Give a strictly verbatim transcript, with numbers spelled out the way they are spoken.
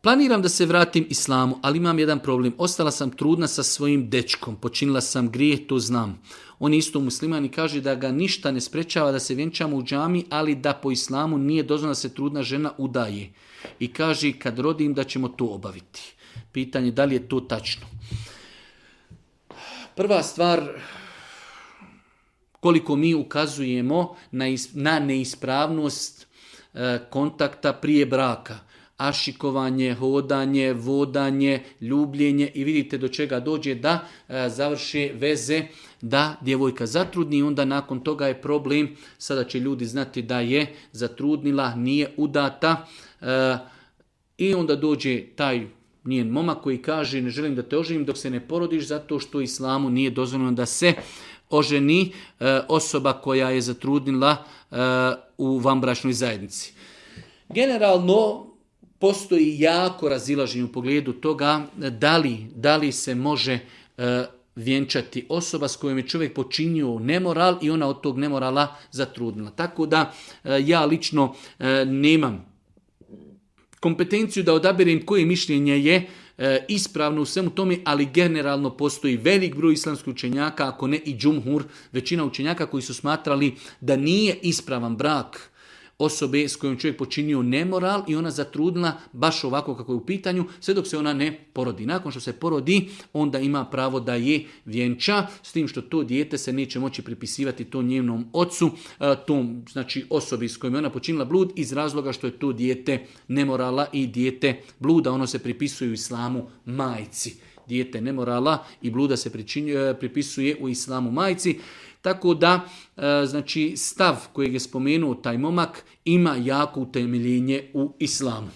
Planiram da se vratim islamu, ali imam jedan problem. Ostala sam trudna sa svojim dečkom, počinila sam grijeh, to znam. On je isto musliman i kaže da ga ništa ne sprečava da se vjenčamo u džami, ali da po islamu nije dozvoljeno da se trudna žena udaje. I kaže kad rodim da ćemo to obaviti. Pitanje da li je to tačno. Prva stvar, koliko mi ukazujemo na, is, na neispravnost e, kontakta prije braka. Ašikovanje, hodanje, vodanje, ljubljenje i vidite do čega dođe da e, završe veze, da djevojka zatrudni i onda nakon toga je problem, sada će ljudi znati da je zatrudnila, nije udata e, i onda dođe taj njen momak koji kaže ne želim da te oženim dok se ne porodiš zato što islamu nije dozvoljeno da se oženi e, osoba koja je zatrudnila e, u vanbračnoj zajednici. Generalno postoji jako razilaženje u pogledu toga da li, da li se može e, vjenčati osoba s kojom je čovjek počinio nemoral i ona od tog nemorala zatrudnila. Tako da e, ja lično e, nemam kompetenciju da odaberem koje mišljenje je e, ispravno u svemu tome, ali generalno postoji velik broj islamskih učenjaka, ako ne i džumhur, većina učenjaka koji su smatrali da nije ispravan brak osobe s kojom čovjek počinio nemoral i ona zatrudnila baš ovako kako je u pitanju, sve dok se ona ne porodi. Nakon što se porodi, onda ima pravo da je vjenča, s tim što to dijete se neće moći pripisivati tom njenom ocu, tom znači osobi s kojom je ona počinila blud, iz razloga što je to dijete nemorala i dijete bluda, ono se pripisuje u islamu majci. Dijete nemorala i bluda se pripisuje u islamu majci. Tako da, znači, stav kojeg je spomenuo taj momak ima jako utemeljenje u islamu.